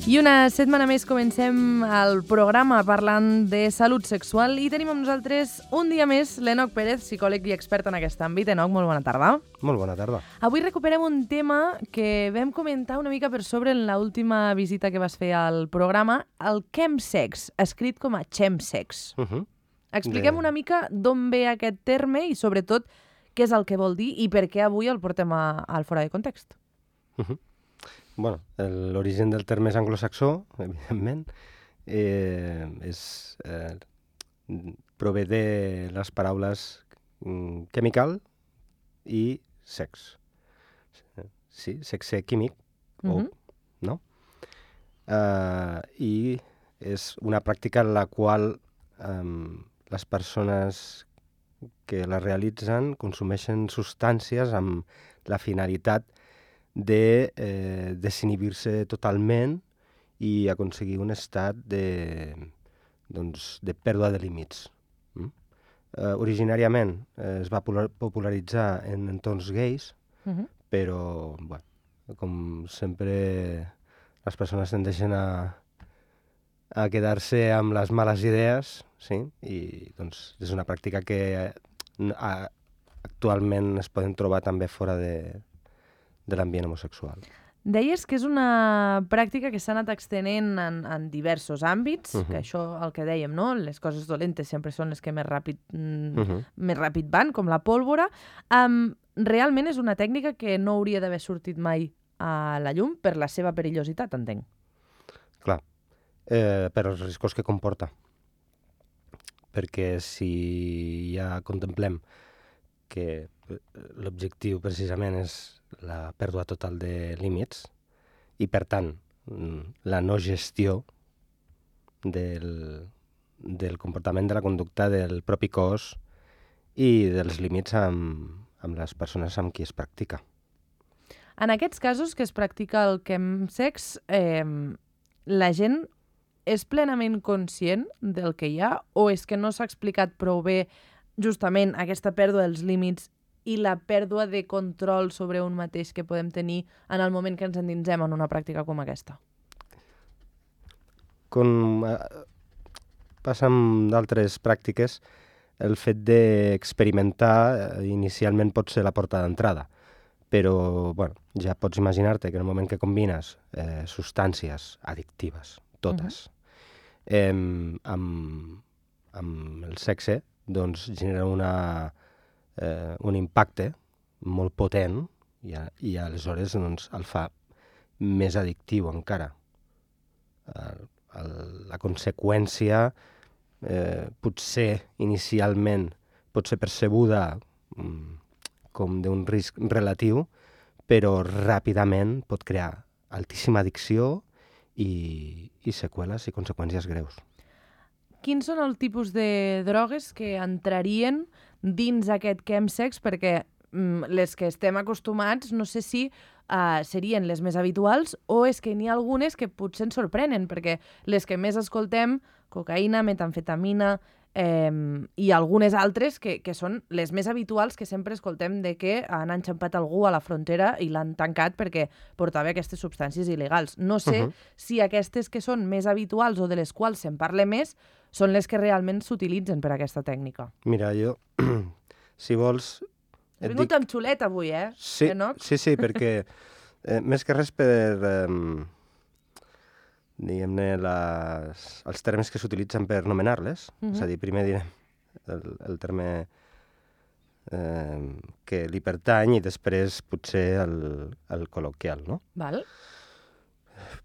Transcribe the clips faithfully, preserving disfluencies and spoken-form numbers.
I una setmana més comencem el programa parlant de salut sexual i tenim amb nosaltres un dia més l'Enoc Pérez, psicòleg i expert en aquest àmbit. Enoc, molt bona tarda. Molt bona tarda. Avui recuperem un tema que vam comentar una mica per sobre en l'última visita que vas fer al programa, el chemsex, escrit com a chemsex. Uh -huh. Expliquem de... una mica d'on ve aquest terme i, sobretot, què és el que vol dir i per què avui el portem a, al fora de context. Uh -huh. Bueno, l'origen del terme és anglosaxó, evidentment. Eh, és, eh, prové de les paraules chemical i sex. Sí, sexe químic, uh -huh. o, no? Uh, I és una pràctica en la qual um, les persones que la realitzen consumeixen substàncies amb la finalitat de eh, desinhibir-se totalment i aconseguir un estat de, doncs, de pèrdua de límits. Mm? Eh, originàriament eh, es va popularitzar en entorns gais, uh-huh. però, bueno, com sempre, les persones tendeixen a, a quedar-se amb les males idees, sí? I doncs, és una pràctica que a, actualment es poden trobar també fora de de l'ambient homosexual. Deies que és una pràctica que s'ha anat extenent en, en diversos àmbits, uh -huh. que això, el que dèiem, no? Les coses dolentes sempre són les que més ràpid, mm, uh -huh. més ràpid van, com la pólvora. Um, realment és una tècnica que no hauria d'haver sortit mai a la llum per la seva perillositat, entenc. Clar, eh, per els riscos que comporta. Perquè si ja contemplem que l'objectiu precisament és la pèrdua total de límits i, per tant, la no gestió del, del comportament de la conducta del propi cos i dels límits amb, amb les persones amb qui es practica. En aquests casos que es practica el chemsex, eh, la gent és plenament conscient del que hi ha o és que no s'ha explicat prou bé justament aquesta pèrdua dels límits i la pèrdua de control sobre un mateix que podem tenir en el moment que ens endinsem en una pràctica com aquesta? Com eh, passa amb d'altres pràctiques, el fet d'experimentar eh, inicialment pot ser la porta d'entrada, però bueno, ja pots imaginar-te que en el moment que combines eh, substàncies addictives, totes, uh-huh. eh, amb, amb el sexe, doncs genera una... Eh, un impacte molt potent i, a, i aleshores doncs, el fa més addictiu encara. El, el, la conseqüència eh, potser inicialment pot ser percebuda mm, com d'un risc relatiu, però ràpidament pot crear altíssima addicció i, i seqüeles i conseqüències greus. Quins són els tipus de drogues que entrarien dins aquest chemsex? Perquè mm, les que estem acostumats no sé si uh, serien les més habituals o és que n'hi ha algunes que potser ens sorprenen, perquè les que més escoltem, cocaïna, metamfetamina eh, i algunes altres que, que són les més habituals que sempre escoltem de que han enxampat algú a la frontera i l'han tancat perquè portava aquestes substàncies il·legals. No sé uh-huh. si aquestes que són més habituals o de les quals se'n parla més són les que realment s'utilitzen per a aquesta tècnica. Mira, jo, si vols... Has vingut dic... amb xulet avui, eh? Sí, Enoc? sí, sí, perquè eh, més que res per, eh, diguem-ne, les, els termes que s'utilitzen per nomenar-les. Uh-huh. És a dir, primer direm el, el terme eh, que li pertany i després potser el, el col·loquial, no? Val.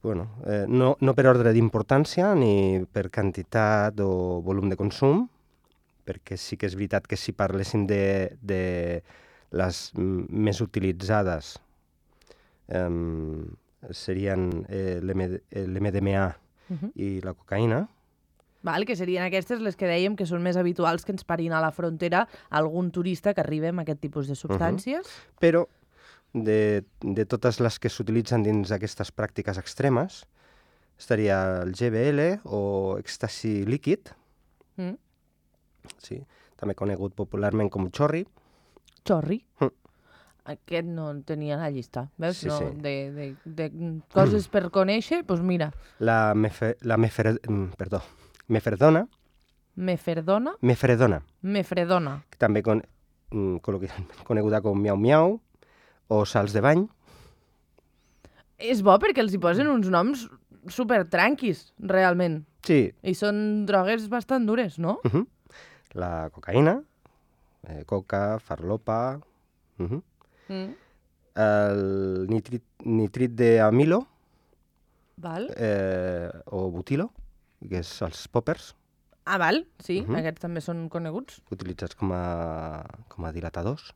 Bueno, eh, no, no per ordre d'importància ni per quantitat o volum de consum, perquè sí que és veritat que si parléssim de, de les més utilitzades eh, serien eh, l'M D M A uh-huh. i la cocaïna. Val, que serien aquestes les que dèiem que són més habituals que ens parin a la frontera algun turista que arribi amb aquest tipus de substàncies. Uh-huh. Però De, de totes les que s'utilitzen dins aquestes pràctiques extremes, estaria el G B L o èxtasi líquid, mm. sí, també conegut popularment com xorri. Xorri? Mm. Aquest no el tenia a la llista, veus? Sí, no, sí. De, de, de coses per conèixer, doncs pues mira. La, mefe, la mefer, mm, perdó, meferdona, Meferdona, mefredona, mefredona. que també con, mm, col·loquialment coneguda com miau-miau, o salts de bany. És bo perquè els hi posen uns noms super tranquis, realment. Sí. I són drogues bastant dures, no? Uh -huh. La cocaïna, eh, coca, farlopa, uh -huh. Mm. el nitrit, nitrit d'amilo, Val. eh, o butilo, que és els poppers, Ah, val, sí, Uh-huh. aquests també són coneguts. utilitzats com a, com a dilatadors.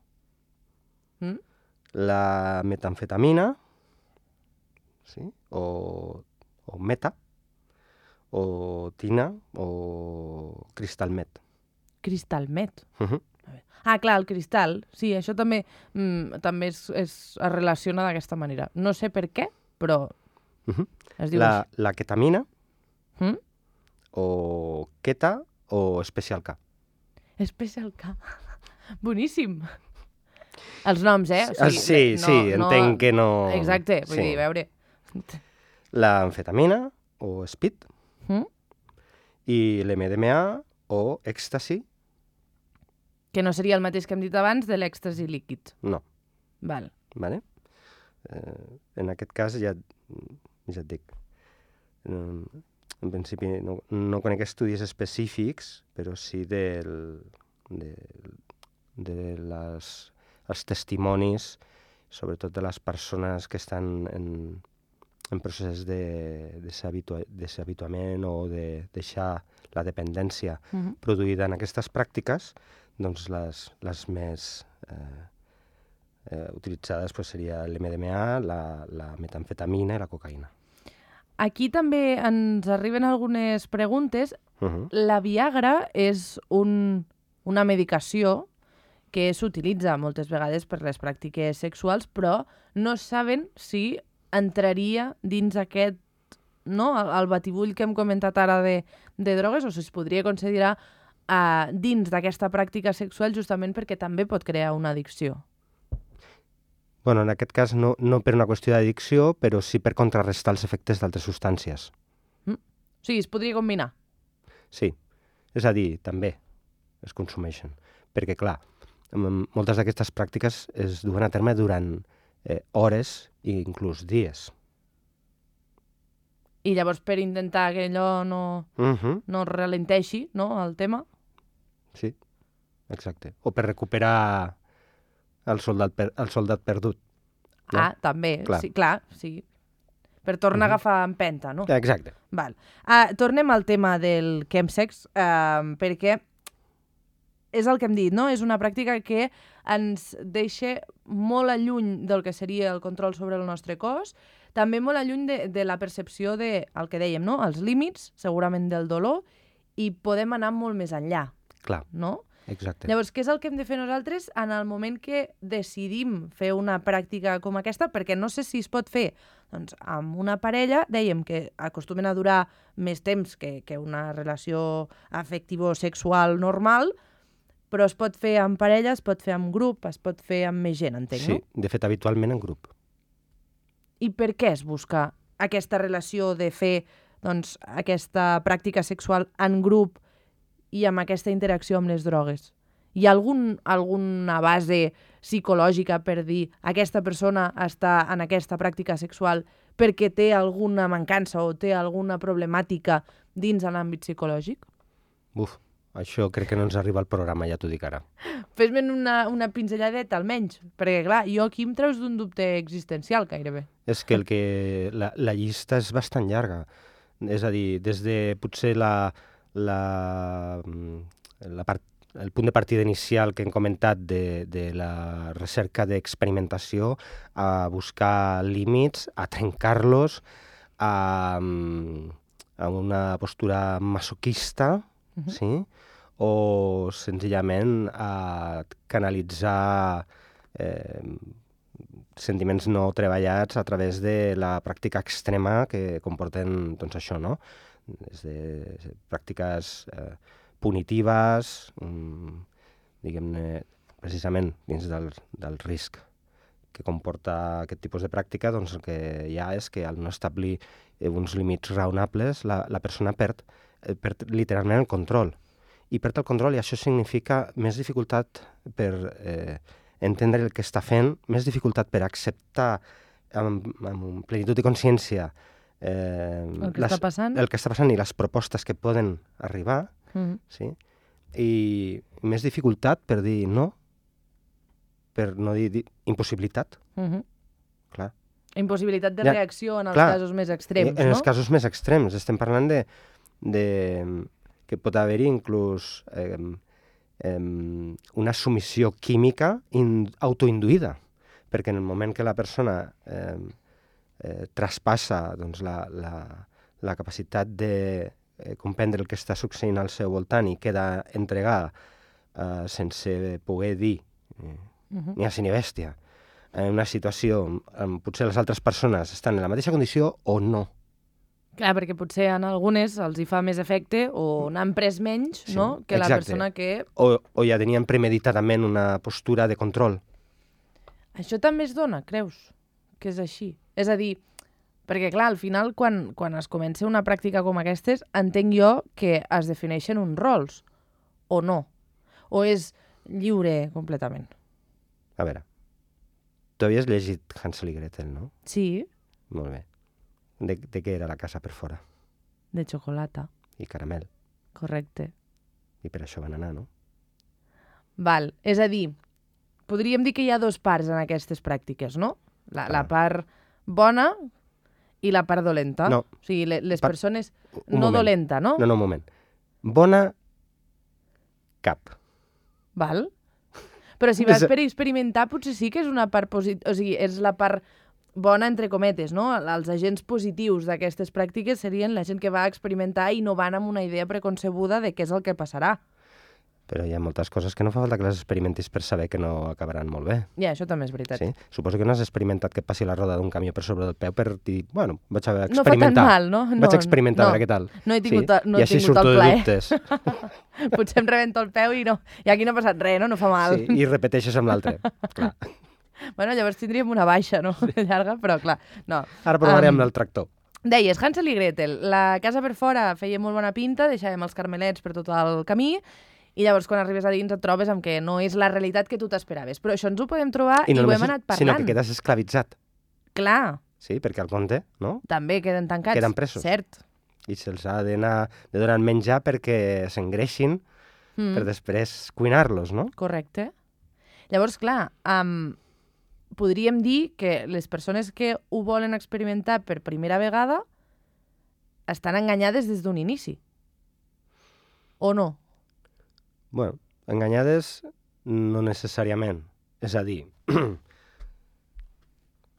Mm. La metamfetamina, sí, o, o meta, o tina, o cristal met. Cristal met. Uh-huh. Ah, clar, el cristal. Sí, això també, mm, també es, es, es relaciona d'aquesta manera. No sé per què, però Uh-huh. es diu La, la ketamina, així. Mm? o keta, o Special K. Special K. Boníssim. Els noms, eh? Ah, sí, sí, entenc que no... Exacte, vull Sí. dir, a veure... L'amfetamina, o speed, Mm? i l'M D M A, o èxtasi, Que no seria el mateix que hem dit abans de l'èxtasi líquid. no. Val. Vale? Eh, en aquest cas ja, ja et dic, en, en principi no, no conec estudis específics, però sí del, de, de les, els testimonis, sobretot de les persones que estan en, en procés de deshabituament o de deixar la dependència Mm-hmm. produïda en aquestes pràctiques, doncs les, les més eh, eh, utilitzades pues, seria l'M D M A, la, la metamfetamina i la cocaïna. Aquí també ens arriben algunes preguntes. Uh -huh. La Viagra és un, una medicació que s'utilitza moltes vegades per les pràctiques sexuals, però no saben si entraria dins aquest, no, el, el batibull que hem comentat ara de, de drogues, o si es podria considerar uh, dins d'aquesta pràctica sexual justament perquè també pot crear una addicció. Bueno, en aquest cas no, no per una qüestió d'addicció, però sí per contrarrestar els efectes d'altres substàncies. Mm? O sigui, es podria combinar. Sí, és a dir, també es consumeixen. Perquè, clar, moltes d'aquestes pràctiques es duen a terme durant eh, hores i inclús dies. I llavors per intentar que allò no, Uh -huh. no ralenteixi, no, el tema. Sí, exacte. O per recuperar el soldat, per, el soldat perdut. No? Ah, també, Clar. sí, clar, sí. Per tornar Mhm. a agafar empenta, no? Exacte. Val. Uh, tornem al tema del chemsex, uh, perquè és el que hem dit, no? És una pràctica que ens deixa molt a lluny del que seria el control sobre el nostre cos, també molt a lluny de, de la percepció de, el que dèiem, no? Els límits, segurament del dolor, i podem anar molt més enllà, Clar, no? exacte. Llavors, què és el que hem de fer nosaltres en el moment que decidim fer una pràctica com aquesta? Perquè no sé si es pot fer doncs, amb una parella, dèiem que acostumen a durar més temps que, que una relació afectivo-sexual normal, però es pot fer amb parella, es pot fer amb grup, es pot fer amb més gent, entenc, Sí, no? de fet, habitualment en grup. I per què es busca aquesta relació de fer doncs, aquesta pràctica sexual en grup i amb aquesta interacció amb les drogues? Hi ha algun, alguna base psicològica per dir aquesta persona està en aquesta pràctica sexual perquè té alguna mancança o té alguna problemàtica dins de l'àmbit psicològic? Buf, això crec que no ens arriba al programa, ja t'ho dic ara. Fes-me'n una, una pinzelladeta, almenys, perquè, clar, jo aquí em treus d'un dubte existencial, gairebé. És que, el que la, la llista és bastant llarga. És a dir, des de potser la, la, la part, el punt de partida inicial que hem comentat de, de la recerca d'experimentació, a buscar límits, a trencar-los, a, a una postura masoquista, Mhm. sí? O senzillament a canalitzar eh, sentiments no treballats a través de la pràctica extrema que comporten doncs, això, no? Des de pràctiques eh, punitives, mm, diguem-ne, precisament dins del, del risc que comporta aquest tipus de pràctica, doncs el que hi ha és que al no establir eh, uns límits raonables, la, la persona perd, eh, perd literalment el control. I perd el control i això significa més dificultat per eh, entendre el que està fent, més dificultat per acceptar amb, amb plenitud i consciència eh, el que les, està passant. el que està passant i les propostes que poden arribar, Mm. sí? I més dificultat per dir no, per no dir, dir impossibilitat, Mm -hmm. clar. Impossibilitat de Ja, reacció en els clar, casos més extrems, en no? els casos més extrems. Estem parlant de, de que pot haver-hi inclús eh, eh, una submissió química in, autoinduïda, perquè en el moment que la persona eh, eh, traspassa doncs, la, la, la capacitat de eh, comprendre el que està succeint al seu voltant i queda entregada eh, sense poder dir eh, Uh -huh. ni a si ni bèstia, en una situació on potser les altres persones estan en la mateixa condició o no. Clar, perquè potser en algunes els hi fa més efecte o n'han pres menys, Sí, no?, que exacte. la persona que... O, o ja tenien premeditadament una postura de control. Això també es dona, creus? Que és així? És a dir, perquè clar, al final, quan, quan es comença una pràctica com aquestes, entenc jo que es defineixen uns rols, o no? O és lliure completament? A veure, tu havies llegit Hansel i Gretel, no? Sí, Molt bé. De, de què era la casa per fora? de xocolata, I caramel. correcte. I per això van anar, no? Val, és a dir, podríem dir que hi ha dos parts en aquestes pràctiques, no? La, la Ah. part bona i la part dolenta. No. O sigui, le- les Pa- persones... Un No moment. dolenta, no? No, no, un moment. Bona, cap. Val? Però si vas És- per experimentar, potser sí que és una part positiva, o sigui, és la part bona, entre cometes, no? Els agents positius d'aquestes pràctiques serien la gent que va experimentar i no van amb una idea preconcebuda de què és el que passarà. Però hi ha moltes coses que no fa falta que les experimentis per saber que no acabaran molt bé. Ja, això també és veritat. Sí? Suposo que no has experimentat que et passi la roda d'un camió per sobre del peu per dir, bueno, vaig a No fa tan experimentar. mal, no? No, Vaig a experimentar no. a veure què tal. No he tingut, sí? no I he així tingut surto el de plaer. dubtes. Potser em rebento el peu i no. I aquí no ha passat res, no? No fa mal. Sí, i repeteixes amb l'altre. Clar. Bueno, llavors tindríem una baixa, no? Llarga, però clar, no. Ara provarem Am, um, el tractor. Deies, Hansel i Gretel, la casa per fora feia molt bona pinta, deixàvem els carmelets per tot el camí, i llavors quan arribes a dins et trobes amb que no és la realitat que tu t'esperaves. Però això ens ho podem trobar i, no ho només hem és- anat parlant. Sinó que quedes esclavitzat. Clar, Sí, perquè al conte, no? també queden tancats. Queden presos. Cert. I se'ls ha d'anar de donar menjar perquè s'engreixin Mm. per després cuinar-los, no? Correcte. Llavors, clar, um, podríem dir que les persones que ho volen experimentar per primera vegada estan enganyades des d'un inici. O no? Bueno, enganyades no necessàriament. És a dir,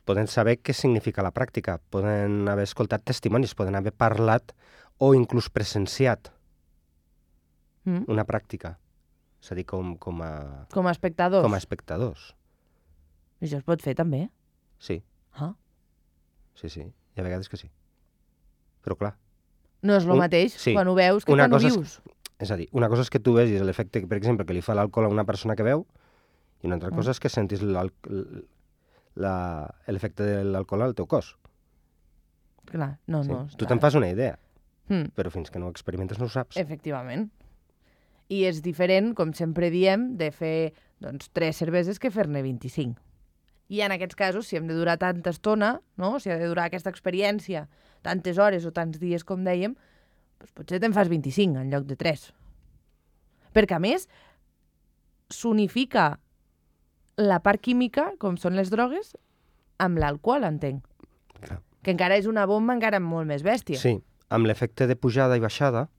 poden saber què significa la pràctica, poden haver escoltat testimonis, poden haver parlat o inclús presenciat Mm? una pràctica. És a dir, com, com, a, Com a espectadors. com a espectadors. Això es pot fer també. Sí, Ah. sí, sí. Hi ha vegades que sí. Però clar, No és el Un- mateix sí. quan ho veus que Una quan ho cosa és- vius. és a dir, una cosa és que tu vegis l'efecte, per exemple, que li fa l'alcohol a una persona que veu, i una altra Mm. cosa és que sentis l'al- la- l'efecte de l'alcohol al teu cos. Clar, no, Sí? no. Tu està- te'n fas una idea, Mm. però fins que no ho experimentes no ho saps. Efectivament. I és diferent, com sempre diem, de fer doncs, tres cerveses que fer-ne vint-i-cinc. I en aquests casos, si hem de durar tanta estona, no? Si ha de durar aquesta experiència tantes hores o tants dies, com dèiem, doncs potser te'n fas vint-i-cinc en lloc de tres. Perquè, a més, s'unifica la part química, com són les drogues, amb l'alcohol, entenc. Clar. Que encara és una bomba encara molt més bèstia. Sí, amb l'efecte de pujada i baixada,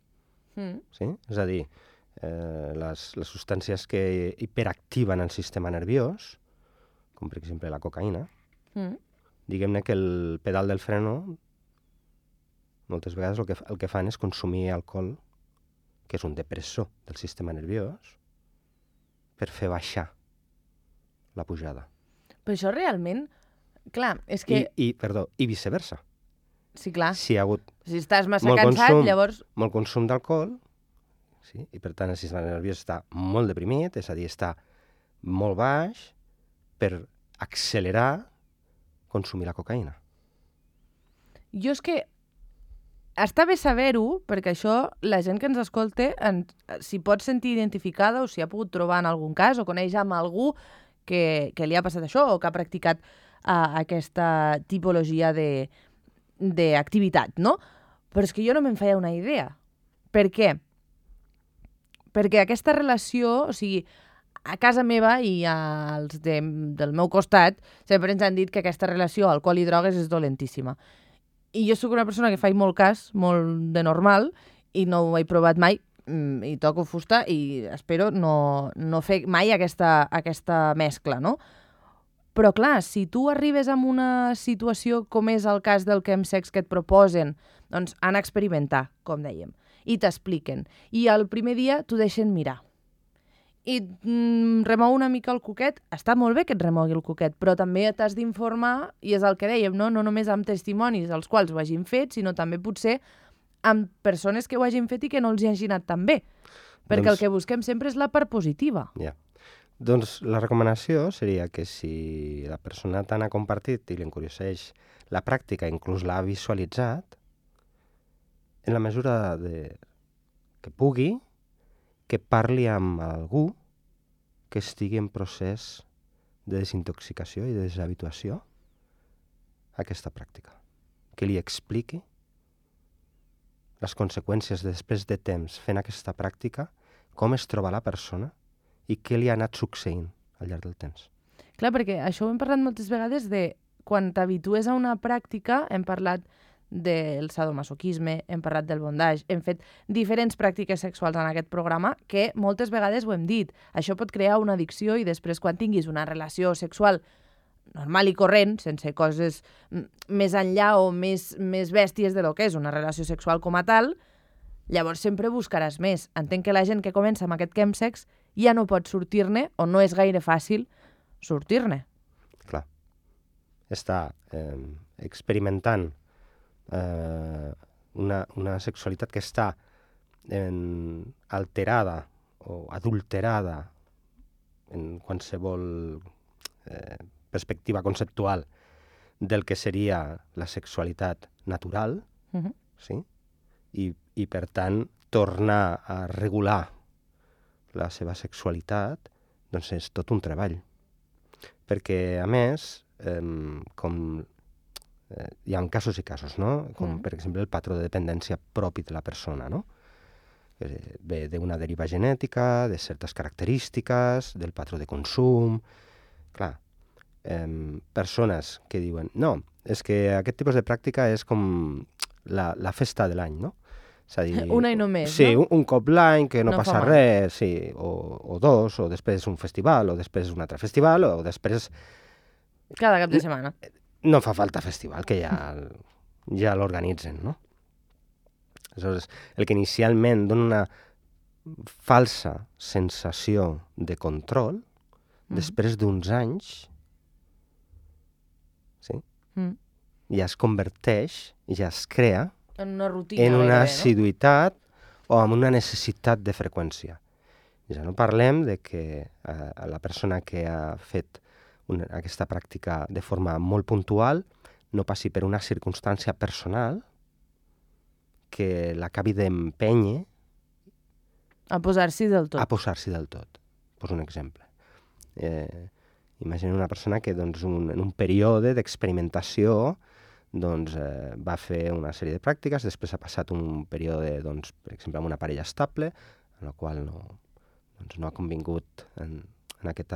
Mm. sí? És a dir, eh, les, les substàncies que hiperactiven el sistema nerviós, com per exemple la cocaïna, Mm. diguem-ne que el pedal del freno moltes vegades el que, el que fan és consumir alcohol, que és un depressor del sistema nerviós, per fer baixar la pujada. Però això realment... Clar, és que... I, i, perdó, i viceversa. Sí, clar. Si hi ha hagut Si estàs massa molt cansat, consum. llavors... molt consum d'alcohol, sí? I per tant el sistema nerviós està molt deprimit, és a dir, està molt baix, per accelerar consumir la cocaïna. Jo és que està bé saber-ho, perquè això la gent que ens escolta en, s'hi pot sentir identificada o s'hi ha pogut trobar en algun cas o coneix amb algú que, que li ha passat això o que ha practicat uh, aquesta tipologia de, d'activitat, no? Però és que jo no me'n feia una idea. Per què? Perquè aquesta relació, o sigui, a casa meva i als de, del meu costat sempre ens han dit que aquesta relació alcohol i drogues és dolentíssima. I jo sóc una persona que faig molt cas, molt de normal, i no ho he provat mai, i toco fusta i espero no, no fer mai aquesta, aquesta mescla, no? Però clar, si tu arribes a una situació com és el cas del chemsex que et proposen, doncs han d'experimentar, com dèiem, i t'expliquen. I el primer dia t'ho deixen mirar. I mm, remou una mica el coquet. Està molt bé que et remogui el coquet, però també t'has d'informar, i és el que dèiem, no? No només amb testimonis dels quals ho hagin fet, sinó també potser amb persones que ho hagin fet i que no els hi hagi anat tan bé. Perquè doncs, el que busquem sempre és la part positiva. Ja. Doncs la recomanació seria que si la persona tant ha compartit i l'encurioseix la pràctica, inclús l'ha visualitzat, en la mesura de... que pugui, que parli amb algú que estigui en procés de desintoxicació i de deshabituació a aquesta pràctica. Que li expliqui les conseqüències després de temps fent aquesta pràctica, com es troba la persona i què li ha anat succeint al llarg del temps. Clar, perquè això ho hem parlat moltes vegades de quan t'habitues a una pràctica, hem parlat del sadomasoquisme, hem parlat del bondage, hem fet diferents pràctiques sexuals en aquest programa que moltes vegades ho hem dit. Això pot crear una addicció i després quan tinguis una relació sexual normal i corrent, sense coses més enllà o més, més bèsties de lo que és una relació sexual com a tal, llavors sempre buscaràs més. Entenc que la gent que comença amb aquest chemsex ja no pot sortir-ne o no és gaire fàcil sortir-ne. Clar. Està eh, experimentant eh, una, una sexualitat que està en, alterada o adulterada en qualsevol eh, perspectiva conceptual del que seria la sexualitat natural, uh-huh. sí? I, i per tant tornar a regular la seva sexualitat doncs és tot un treball. Perquè, a més, eh, com eh, hi ha casos i casos, no? Com, mm. per exemple, el patró de dependència propi de la persona, no? Eh, ve d'una deriva genètica, de certes característiques, del patró de consum... Clar, eh, persones que diuen no, és que aquest tipus de pràctica és com la, la festa de l'any, no? És a dir, una i només, sí, no? un, un cop l'any, que no, no passa res, sí, o, o dos, o després un festival, o després un altre festival, o després... Cada cap de setmana. No fa falta festival, que ja, ja l'organitzen, no? Aleshores, el que inicialment dona una falsa sensació de control, mm. després d'uns anys, sí? Mm. ja es converteix, ja es crea en una rutina, en una bé, assiduïtat, no? O en una necessitat de freqüència. Ja no parlem de que eh, la persona que ha fet una, aquesta pràctica de forma molt puntual no passi per una circumstància personal que l'acabi d'empènyer a posar-s'hi del tot. A posar-s'hi del tot. Poso un exemple. Eh, imagina una persona que doncs, un, en un període d'experimentació doncs, eh, va fer una sèrie de pràctiques, després ha passat un període, doncs, per exemple, amb una parella estable, en la qual no, doncs, no ha convingut en, en aquest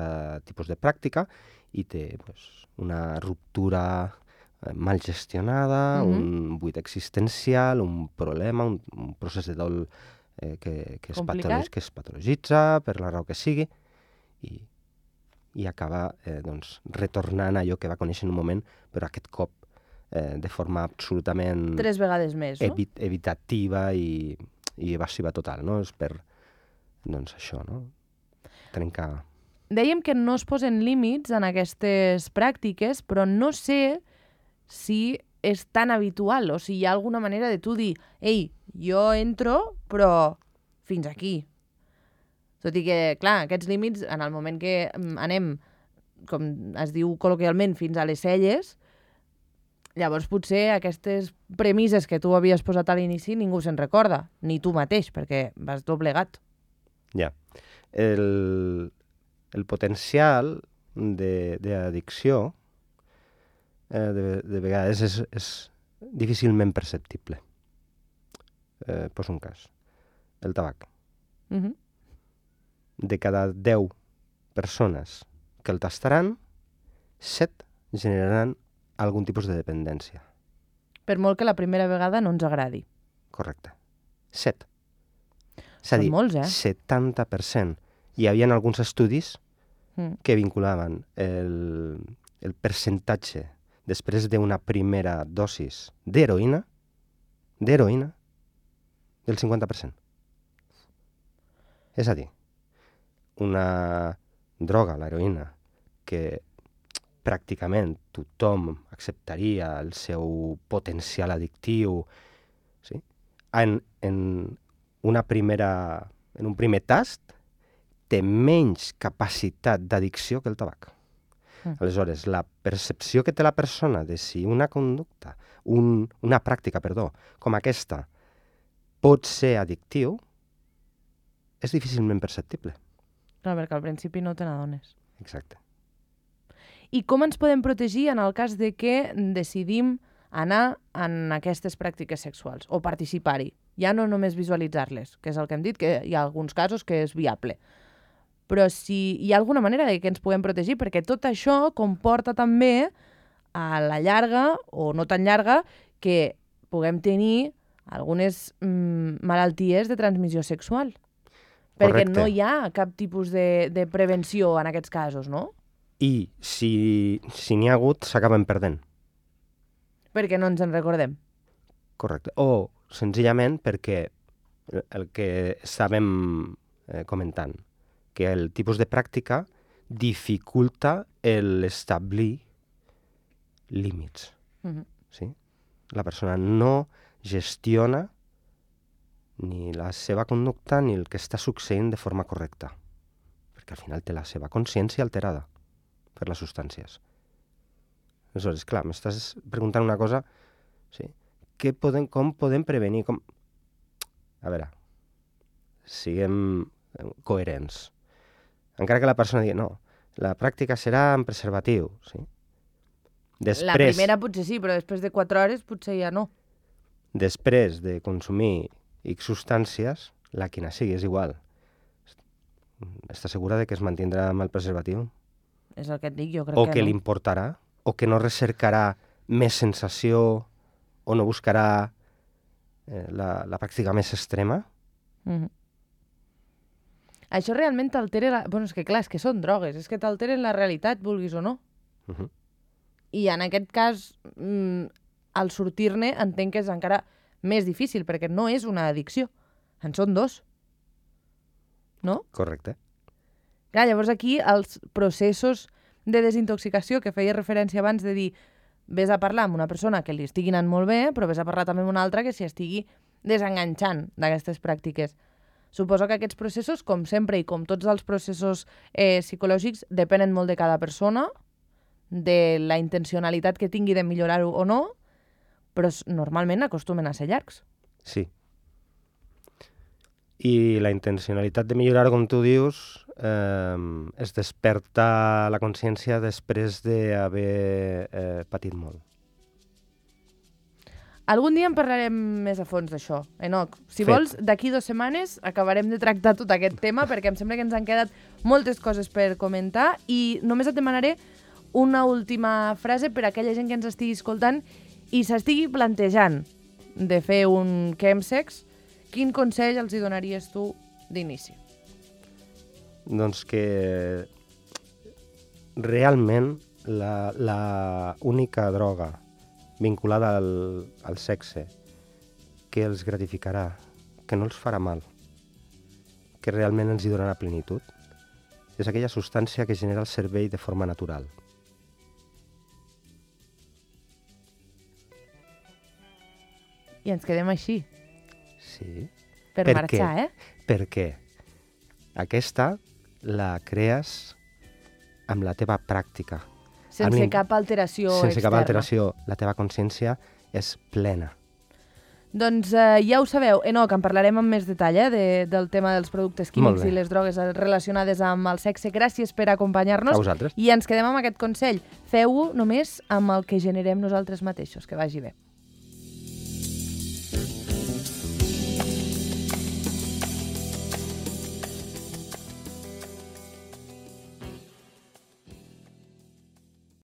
tipus de pràctica i té doncs, una ruptura eh, mal gestionada, mm-hmm. un buit existencial, un problema, un, un procés de dol eh, que, que, es patolog, que es patologitza per la raó que sigui i, i acaba eh, doncs, retornant a allò que va conèixer en un moment, però aquest cop Eh, de forma absolutament... Tres vegades més, no? Evi evitativa i, i evasiva total, no? És per, doncs, això, no? Trencar... Dèiem que no es posen límits en aquestes pràctiques, però no sé si és tan habitual o si hi ha alguna manera de tu dir ei, jo entro, però fins aquí. Tot i que, clar, aquests límits, en el moment que anem com es diu col·loquialment, fins a les celles, llavors potser aquestes premisses que tu havies posat a l'inici ningú se'n recorda, ni tu mateix, perquè vas doblegat. Ja. El, el potencial d'addicció eh, de, de vegades és, és difícilment perceptible. Eh, poso un cas. El tabac. Uh -huh. De cada deu persones que el tastaran, set generaran algun tipus de dependència. Per molt que la primera vegada no ens agradi. Correcte. Set. És a Són dir, molts, eh? setanta per cent. Hi havia alguns estudis Mm. que vinculaven el, el percentatge després d'una primera dosis d'heroïna, d'heroïna, del cinquanta per cent. És a dir, una droga, l'heroïna, que pràcticament tothom acceptaria el seu potencial addictiu, sí? en, en, una primera, en un primer tast, té menys capacitat d'addicció que el tabac. Mm. Aleshores, la percepció que té la persona de si una conducta, un, una pràctica, perdó, com aquesta, pot ser addictiu, és difícilment perceptible. Clar, perquè al principi no te n'adones. Exacte. I com ens podem protegir en el cas de que decidim anar en aquestes pràctiques sexuals o participar-hi? Ja no només visualitzar-les, que és el que hem dit, que hi ha alguns casos que és viable. Però si hi ha alguna manera de que ens puguem protegir, perquè tot això comporta també, a la llarga, o no tan llarga, que puguem tenir algunes mm, malalties de transmissió sexual. Perquè Correcte. no hi ha cap tipus de, de prevenció en aquests casos, no? I si si n'hi ha hagut, s'acaben perdent. Perquè no ens en recordem. Correcte. O senzillament perquè el que estàvem eh, comentant, que el tipus de pràctica dificulta l'establir límits. Uh-huh. Sí? La persona no gestiona ni la seva conducta ni el que està succeint de forma correcta, perquè al final té la seva consciència alterada per les substàncies. Aleshores, clar, m'estàs preguntant una cosa, sí? Què podem, com podem prevenir? Com... A veure, siguem coherents. Encara que la persona digui, no, la pràctica serà en preservatiu, sí? Després, la primera potser sí, però després de quatre hores potser ja no. Després de consumir X substàncies, la quina sigui, és igual. Està segura de que es mantindrà amb el preservatiu? És el que et dic, jo crec o que, que no. li importarà? O que no recercarà més sensació o no buscarà eh, la, la pràctica més extrema? Mm-hmm. Això realment t'altera... La... Bueno, és que clar, és que són drogues, és que t'alteren la realitat, vulguis o no. Uh-huh. I en aquest cas, mm, al sortir-ne, entenc que és encara més difícil, perquè no és una addicció. En són dos. No? Correcte. Clar, llavors aquí els processos de desintoxicació que feia referència abans de dir vés a parlar amb una persona que li estigui anant molt bé, però vés a parlar també amb una altra que s'hi estigui desenganxant d'aquestes pràctiques. Suposo que aquests processos, com sempre i com tots els processos eh, psicològics, depenen molt de cada persona, de la intencionalitat que tingui de millorar-ho o no, però normalment acostumen a ser llargs. Sí. I la intencionalitat de millorar, com tu dius, eh, es desperta la consciència després d'haver eh, patit molt. Algun dia en parlarem més a fons d'això, Enoc. Si Fet. vols, d'aquí dues setmanes acabarem de tractar tot aquest tema, perquè em sembla que ens han quedat moltes coses per comentar, i només et demanaré una última frase per a aquella gent que ens estigui escoltant i s'estigui plantejant de fer un chemsex. Quin consell els hi donaries tu d'inici? Doncs que realment la, la única droga vinculada al, al sexe que els gratificarà, que no els farà mal, que realment els hi donarà plenitud, és aquella substància que genera el cervell de forma natural. I ens quedem així. Sí. Per, Per marxar, què? eh? Perquè aquesta la crees amb la teva pràctica. Sense Amb cap alteració Sense externa. cap alteració, la teva consciència és plena. Doncs eh, ja ho sabeu, Enoc, en parlarem amb més detall eh, de, del tema dels productes Molt químics bé. i les drogues relacionades amb el sexe. Gràcies per acompanyar-nos. A vosaltres. I ens quedem amb aquest consell. Feu-ho només amb el que generem nosaltres mateixos. Que vagi bé.